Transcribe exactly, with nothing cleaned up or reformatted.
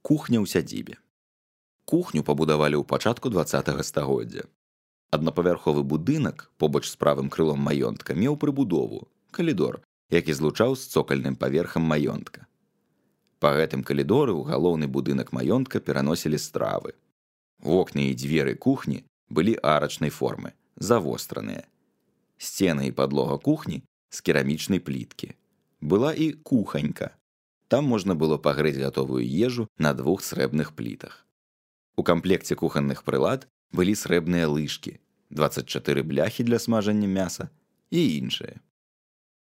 Кухня ў сядзібе. Кухню пабудавалі ў пачатку дваццатага стагоддзя. Аднапавярховы будынак побач з правым крылом маёнтка меў прыбудову, калідор, які злучаў з цокальным паверхам маёнтка. Па гэтым калідоры ў галоўны будынак маёнтка пераносілі стравы. Вокны і дзверы кухні былі арачнай формы, завостраныя. Сцены і падлога кухні з керамічнай пліткі. Была і куханька. Там можна было пагрэць гатовую ежу на двух срэбных плітах. У камплекце кухонных прылад былі срэбныя лыжкі, дваццаць чатыры бляхі для смажання мяса і іншае.